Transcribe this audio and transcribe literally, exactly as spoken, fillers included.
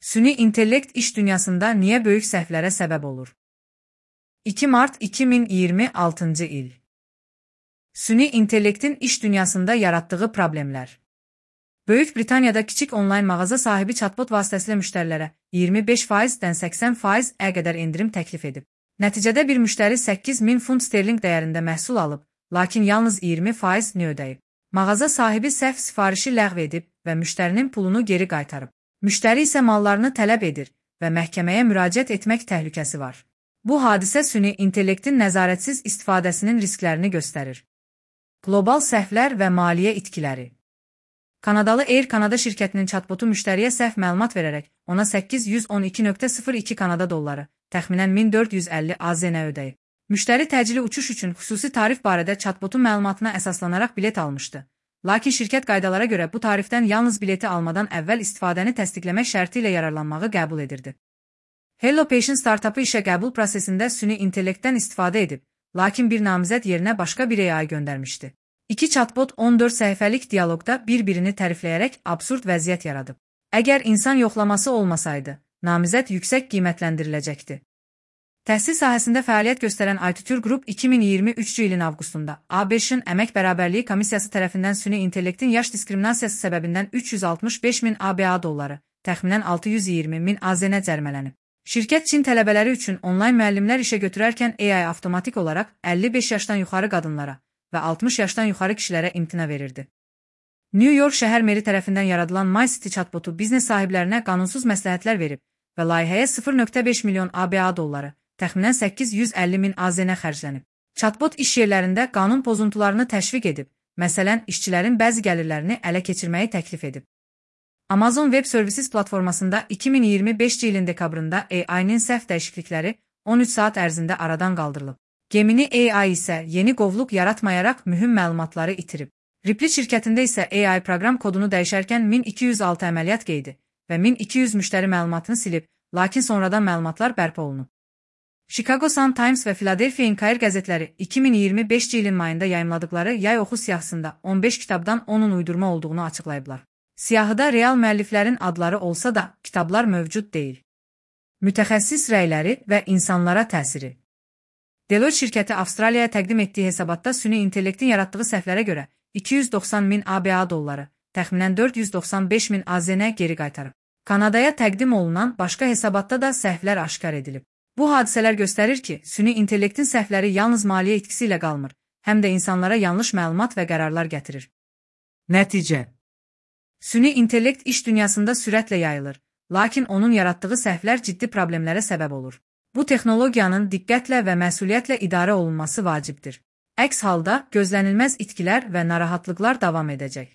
Süni intellekt iş dünyasında niye böyük səhvlərə səbəb olur? iki Mart iki min iyirmi altıncı il. Süni intellektin iş dünyasında yarattığı problemlər. Böyük Britaniyada kiçik onlayn mağaza sahibi chatbot vasitəsilə müştərilərə iyirmi beş faizdən səksən faiz-ə qədər endirim təklif edib. Nəticədə bir müştəri səkkiz min funt sterling dəyərində məhsul alıb, lakin yalnız iyirmi faizini ödəyib. Mağaza sahibi səhv sifarişi ləğv edib və müştərinin pulunu geri qaytarıb. Müştəri isə mallarını tələb edir və məhkəməyə müraciət etmək təhlükəsi var. Bu hadisə süni intellektin nəzarətsiz istifadəsinin risklərini göstərir. Qlobal səhvlər və maliyyə itkiləri. Kanadalı Air Canada şirkətinin chatbotu müştəriyə səhv məlumat verərək ona səkkiz yüz on iki nöqtə sıfır iki Kanada dolları, təxminən min dörd yüz əlli AZN ödəyib. Müştəri təcili uçuş üçün xüsusi tarif barədə chatbotun məlumatına əsaslanaraq bilet almışdı. Lakin şirkət qaydalara görə bu tarifdən yalnız bileti almadan əvvəl istifadəni təsdiqləmək şərti ilə yararlanmağı qəbul edirdi. HelloPation startapı işə qəbul prosesində süni intellektdən istifadə edib, lakin bir namizəd yerinə başqa bir A I göndərmişdi. İki chatbot on dörd səhifəlik dialoqda bir-birini tərifləyərək absurd vəziyyət yaradıb. Əgər insan yoxlaması olmasaydı, namizəd yüksək qiymətləndiriləcəkdi. Təhsil sahəsində fəaliyyət göstərən Aytutur Group iki min iyirmi üçüncü ilin avqustunda A B Ş-ın Əmək Bərabərliyi Komissiyası tərəfindən süni intellektin yaş diskriminasiyası səbəbindən üç yüz altmış beş min A B A dolları, təxminən altı yüz iyirmi min AZN cərimələnib. Şirkət Çin tələbələri üçün onlayn müəllimlər işə götürərkən A I avtomatik olaraq əlli beş yaşdan yuxarı qadınlara və altmış yaşdan yuxarı kişilərə imtina verirdi. New York şəhər meri tərəfindən yaradılan MyCity chatbotu biznes sahiblərinə qanunsuz məsləhətlər verib və layihəyə sıfır nöqtə beş milyon A B A dolları, təxminən səkkiz yüz əlli min AZN xərclənib. Chatbot iş yerlərində qanun pozuntularını təşviq edib, məsələn, işçilərin bəzi gəlirlərini ələ keçirməyi təklif edib. Amazon Web Services platformasında iki min iyirmi beşinci ilin dekabrında A I-nin səhv dəyişiklikləri on üç saat ərzində aradan qaldırılıb. Gemini A I isə yeni qovluq yaratmayaraq mühüm məlumatları itirib. Ripley şirkətində isə A I proqram kodunu dəyişərkən min iki yüz altı əməliyyat qeydi və min iki yüz müştəri məlumatını silib, lakin sonradan məlumatlar bərpa olunub. Chicago Sun-Times və Philadelphia Inquirer qəzetləri iki min iyirmi beşinci ilin mayında yayımladıkları yay oxu siyahısında on beş kitabdan onun uydurma olduğunu açıqlayıblar. Siyahıda real müəlliflərin adları olsa da, kitablar mövcud deyil. Mütəxəssis rəyləri və insanlara təsiri. Deloitte şirkəti Avstraliyaya təqdim etdiyi hesabatda süni intellektin yaratdığı səhvlərə görə iki yüz doxsan min A B A dolları, təxminən dörd yüz doxsan beş min AZN geri qaytarıb. Kanadaya təqdim olunan başqa hesabatda da səhvlər aşkar edilib. Bu hadisələr göstərir ki, süni intellektin səhvləri yalnız maliyyə itkisi ilə qalmır, həm də insanlara yanlış məlumat və qərarlar gətirir. Nəticə. Süni intellekt iş dünyasında sürətlə yayılır, lakin onun yaratdığı səhvlər ciddi problemlərə səbəb olur. Bu texnologiyanın diqqətlə və məsuliyyətlə idarə olunması vacibdir. Əks halda gözlənilməz itkilər və narahatlıqlar davam edəcək.